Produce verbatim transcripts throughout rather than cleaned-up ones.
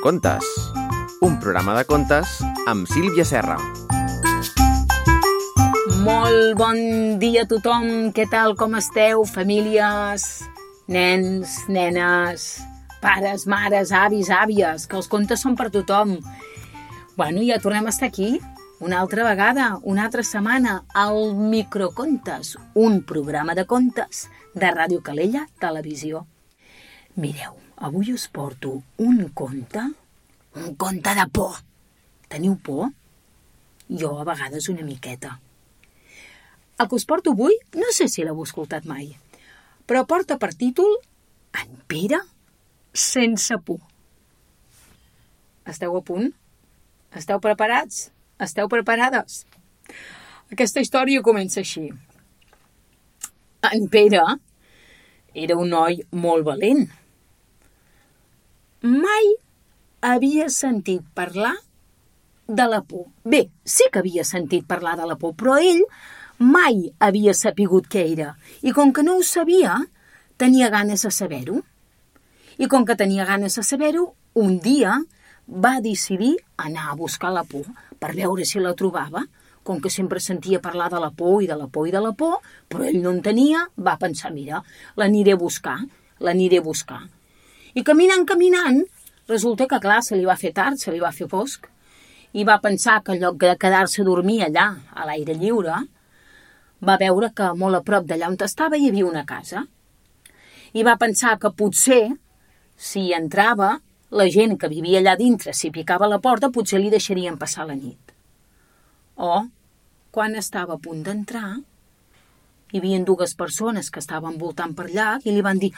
Microcontes, un programa de contes amb Sílvia Serra. Molt bon dia a tothom, què tal, com esteu, famílies, nens, nenes, pares, mares, avis, àvies, que els contes són per tothom. Bueno, ja tornem a estar aquí, una altra vegada, una altra setmana, al Microcontes, un programa de contes de Ràdio Calella Televisió. Mireu, avui us porto un conte, un conte de por. Teniu por? Jo a vegades una miqueta. El que us porto avui, no sé si l'heu escoltat mai, però porta per títol En Pere sense por. Esteu a punt? Esteu preparats? Esteu preparades? Aquesta història comença així. En Pere era un noi molt valent. Mai havia sentit parlar de la por. Bé, sí que havia sentit parlar de la por, però ell mai havia sapigut què era. I com que no ho sabia, tenia ganes de saber-ho. I com que tenia ganes de saber-ho, un dia va decidir anar a buscar la por per veure si la trobava. Com que sempre sentia parlar de la por i de la por i de la por, però ell no en tenia, va pensar, mira, l'aniré a buscar, l'aniré a buscar. I caminant, caminant, resulta que, clar, se li va fer tard, se li va fer fosc, i va pensar que en lloc de quedar-se a dormir allà, a l'aire lliure, va veure que molt a prop d'allà on estava hi havia una casa. I va pensar que potser, si entrava, la gent que vivia allà dintre, si picava a la porta, potser li deixarien passar la nit. O, quan estava a punt d'entrar, hi havia dues persones que estaven voltant per allà i li van dir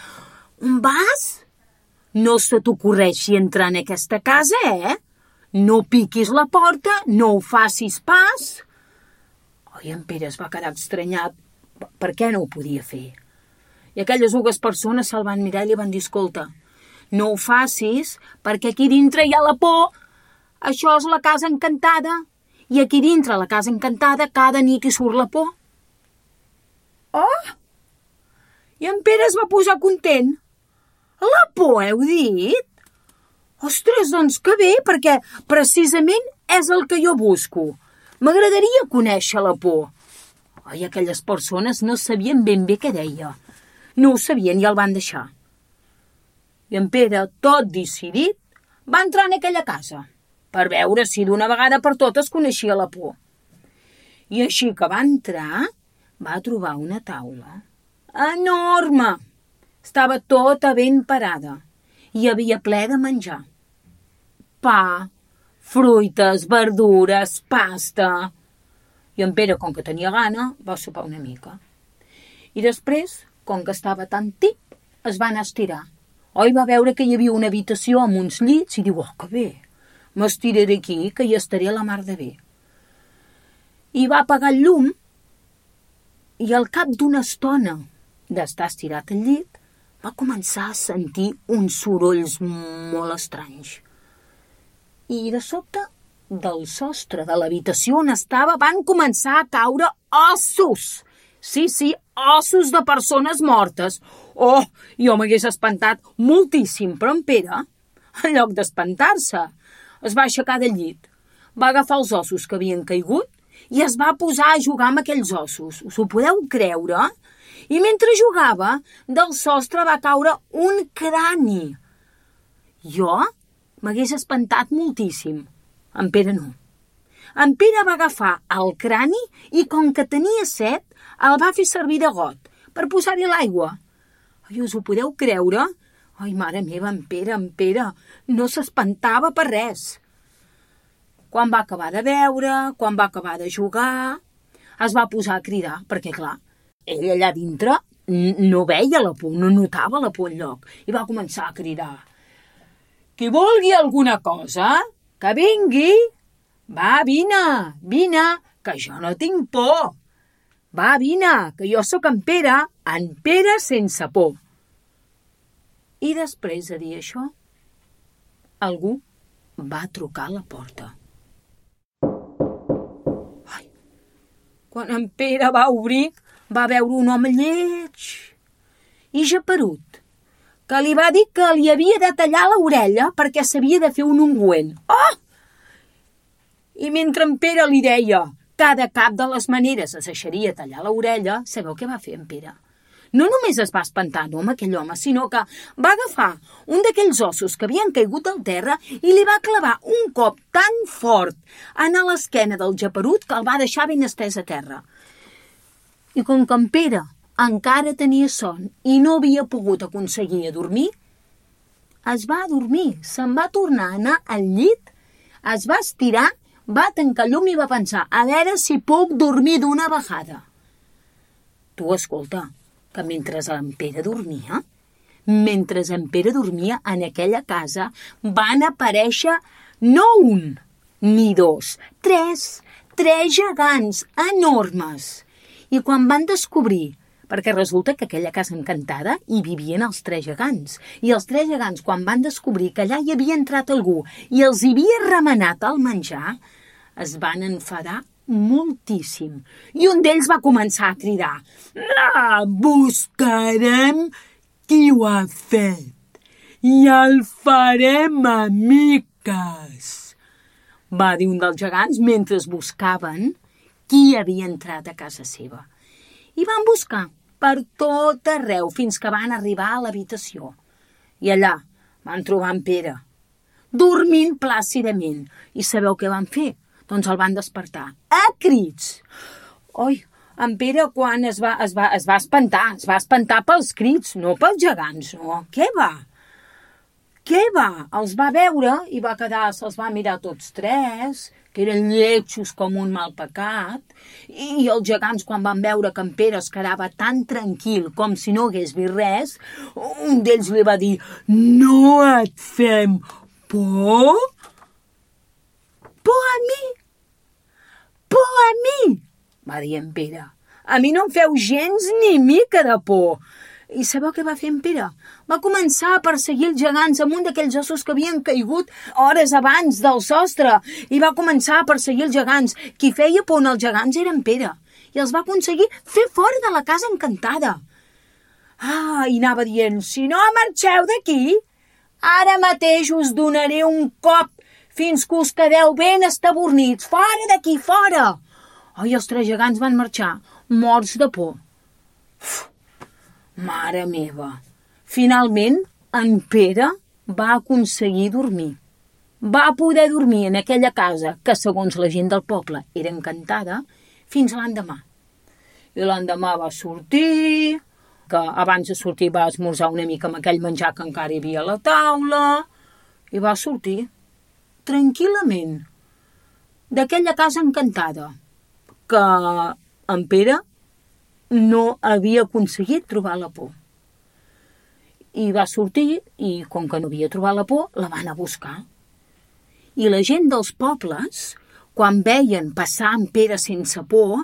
«On vas? No se t'ocorreixi entrar en aquesta casa, eh? No piquis la porta, no ho facis pas». Oi, en Pere es va quedar estranyat. Per què no ho podia fer? I aquelles dues persones se'l van mirar i li van dir «Escolta, no ho facis perquè aquí dintre hi ha la por. Això és la casa encantada. I aquí dintre la casa encantada cada nit hi surt la por». Oh! I en Pere es va posar content. La por, heu dit? Ostres, doncs que bé, perquè precisament és el que jo busco. M'agradaria conèixer la por. Oi, aquelles persones no sabien ben bé què deia. No ho sabien i el van deixar. I en Pere, tot decidit, va entrar en aquella casa per veure si d'una vegada per totes coneixia la por. I així que va entrar, va trobar una taula enorme. Estava tota ben parada. Hi havia ple de menjar. Pa, fruites, verdures, pasta. I en Pere, com que tenia gana, va sopar una mica. I després, com que estava tan tip, es va anar a estirar. Oi, va veure que hi havia una habitació amb uns llits i diu, oh, que bé, m'estiraré aquí, que hi estaré a la mar de bé. I va apagar el llum i al cap d'una estona d'estar estirat al llit, va començar a sentir uns sorolls molt estranys. I de sobte, del sostre de l'habitació on estava, van començar a caure ossos. Sí, sí, ossos de persones mortes. Oh, jo m'hagués espantat moltíssim, però en Pere, en lloc d'espantar-se, es va aixecar del llit, va agafar els ossos que havien caigut i es va posar a jugar amb aquells ossos. Us ho podeu creure? I mentre jugava, del sostre va caure un crani. Jo m'hagués espantat moltíssim. En Pere no. En Pere va agafar el crani i, com que tenia set, el va fer servir de got per posar-hi l'aigua. Ai, us ho podeu creure? Ai, mare meva, en Pere, en Pere, no s'espantava per res. Quan va acabar de beure, quan va acabar de jugar, es va posar a cridar, perquè, clar, ell allà dintre no veia la por, no notava la por enlloc. I va començar a cridar. Qui vulgui alguna cosa, que vingui. Va, vine, vine, que jo no tinc por. Va, vine, que jo sóc en Pere, en Pere sense por. I després de dir això, algú va trucar a la porta. Ai, quan en Pere va obrir, va veure un home lleig i geperut, que li va dir que li havia de tallar l'orella perquè s'havia de fer un ungüent. Oh! I mentre en Pere li deia que de cap de les maneres es deixaria tallar l'orella, sabeu què va fer en Pere? No només es va espantar, no, amb aquell home, sinó que va agafar un d'aquells ossos que havien caigut al terra i li va clavar un cop tan fort en l'esquena del geperut que el va deixar ben estès a terra. I com que en Pere encara tenia son i no havia pogut aconseguir dormir, es va dormir, se'n va tornar a anar al llit, es va estirar, va tancar llum i va pensar, a veure si puc dormir d'una vegada. Tu, escolta, que mentre en Pere dormia, mentre en Pere dormia en aquella casa, van aparèixer no un, ni dos, tres, tres gegants enormes. I quan van descobrir, perquè resulta que aquella casa encantada hi vivien els tres gegants, i els tres gegants, quan van descobrir que allà hi havia entrat algú i els havia remenat el menjar, es van enfadar moltíssim. I un d'ells va començar a cridar: "La buscarem qui ho ha fet i el farem amiques", va dir un dels gegants mentre es buscaven qui havia entrat a casa seva. I van buscar per tot arreu fins que van arribar a l'habitació. I allà van trobar en Pere, dormint plàcidament. I sabeu què van fer? Doncs el van despertar a crits. Oi, en Pere quan es va, es va, es va espantar, es va espantar pels crits, no pels gegants, no. Què va? Què va? Els va veure i va quedar, se'ls va mirar tots tres, que eren lletjos com un mal pecat, i els gegants, quan van veure que en Pere es quedava tan tranquil com si no hagués vist res, un d'ells li va dir: "No et fem por? Por a mi? Por a mi?", va dir en Pere. "A mi no em feu gens ni mica de por." I sabeu què va fer en Pere? Va començar a perseguir els gegants amb un d'aquells ossos que havien caigut hores abans del sostre, i va començar a perseguir els gegants. Qui feia por als gegants era en Pere, i els va aconseguir fer fora de la casa encantada. Ah, i anava dient: "Si no marxeu d'aquí, ara mateix us donaré un cop fins que us quedeu ben estabornits. Fora d'aquí, fora!" Oh, i els tres gegants van marxar, morts de por. Uf, mare meva! Finalment, en Pere va aconseguir dormir. Va poder dormir en aquella casa que, segons la gent del poble, era encantada, fins l'endemà. I l'endemà va sortir, que abans de sortir va esmorzar una mica amb aquell menjar que encara hi havia a la taula, i va sortir tranquil·lament d'aquella casa encantada que en Pere no havia aconseguit trobar la por. I va sortir i, com que no havia trobat la por, la van a buscar. I la gent dels pobles, quan veien passar en Pere sense por,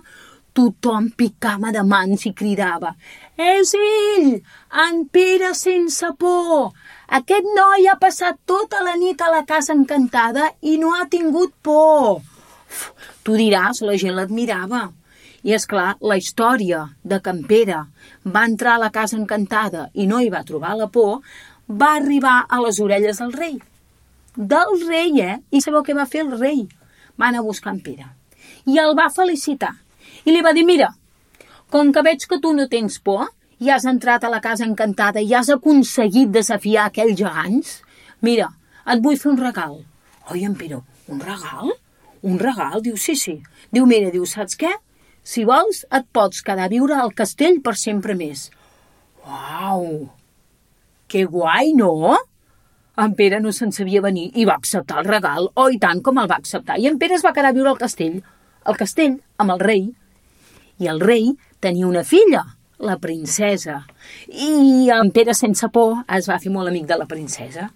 tothom picava de mans i cridava: "És ell, en Pere sense por! Aquest noi ha passat tota la nit a la casa encantada i no ha tingut por." Uf, tu diràs, la gent l'admirava. I és clar, la història de que en Pere va entrar a la casa encantada i no hi va trobar la por, va arribar a les orelles del rei. Del rei, eh? I sabeu què va fer el rei? Va anar a buscar en Pere i el va felicitar. I li va dir: "Mira, com que veig que tu no tens por i has entrat a la casa encantada i has aconseguit desafiar aquells gegants, mira, et vull fer un regal." Oi, en Pere, un regal? Un regal? Diu, sí, sí. Diu, mira, diu, saps què? Si vols, et pots quedar a viure al castell per sempre més. Uau! Que guai, no? En Pere no se'n sabia venir i va acceptar el regal. Oh, i tant com el va acceptar. I en Pere es va quedar a viure al castell. Al castell, amb el rei. I el rei tenia una filla, la princesa. I en Pere, sense por, es va fer molt amic de la princesa.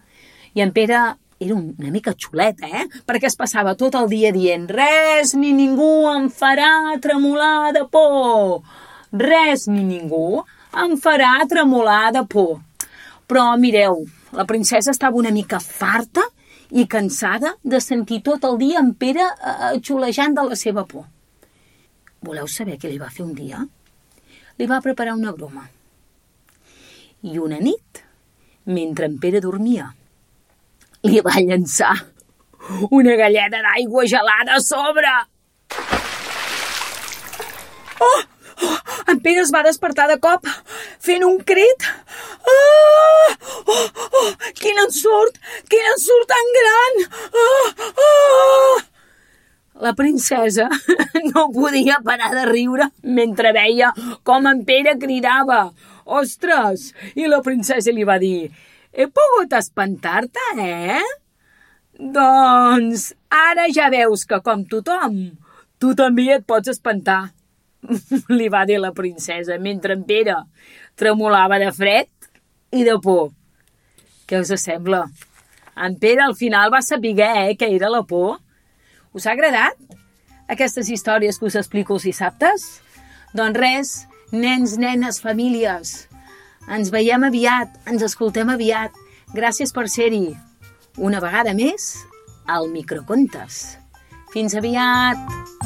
I en Pere era una mica xulet, eh? Perquè es passava tot el dia dient: "Res ni ningú em farà tremolar de por. Res ni ningú em farà tremolar de por." Però mireu, la princesa estava una mica farta i cansada de sentir tot el dia en Pere eh, xulejant de la seva por. Voleu saber què li va fer un dia? Li va preparar una broma. I una nit, mentre en Pere dormia. Li va llançar una galleda d'aigua gelada a sobre. Oh! Oh! En Pere es va despertar de cop, fent un crit. Ah! Oh! Oh! Quin ensurt! Quin ensurt tan gran! Ah! Ah! La princesa no podia parar de riure mentre veia com en Pere cridava. Ostres! I la princesa li va dir: he pogut espantar-te, eh? Doncs ara ja veus que, com tothom, tu també et pots espantar, li va dir la princesa, mentre en Pere tremolava de fred i de por. Què us sembla? En Pere al final va saber eh, què era la por. Us ha agradat aquestes històries que us explico els dissabtes? Doncs res, nens, nenes, famílies, ens veiem aviat, ens escoltem aviat. Gràcies per ser-hi. Una vegada més, al Microcontes. Fins aviat!